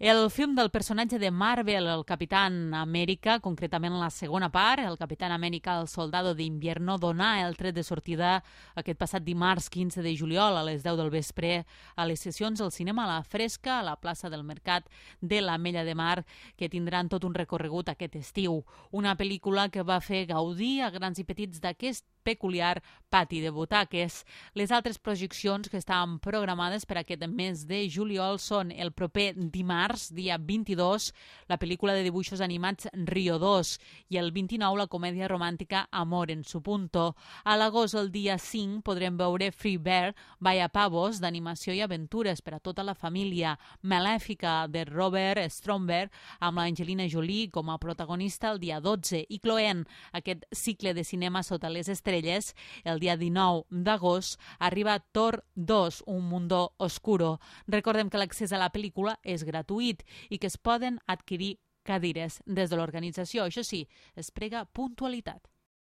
El film del personatge de Marvel, el Capitán Amèrica, concretament la segona part, el Capitán Amèrica, el soldado d'Invierno, donà el tret de sortida aquest passat dimarts 15 de juliol a les 10 del vespre a les sessions al cinema a la Fresca, a la plaça del Mercat de l'Ametlla de Mar, que tindran tot un recorregut aquest estiu. Una pel·lícula que va fer gaudir a grans i petits d'aquest peculiar pati de butaques. Les altres projeccions que estaven programades per aquest mes de juliol són el proper dimarts, dia 22, la pel·lícula de dibuixos animats Rio 2 i el 29 la comèdia romàntica Amor en su punto. A l'agost, el dia 5, podrem veure Free Bear, Vaya Pavos, d'animació i aventures per a tota la família, Malèfica, de Robert Stromberg, amb l'Angelina Jolie com a protagonista el dia 12, i cloent aquest cicle de cinema sota les estrelles, el dia 19 d'agost arriba Thor 2, Un mundo oscuro. Recordem que l'accés a la pel·lícula és gratuït i que es poden adquirir cadires des de l'organització. Això sí, es prega puntualitat.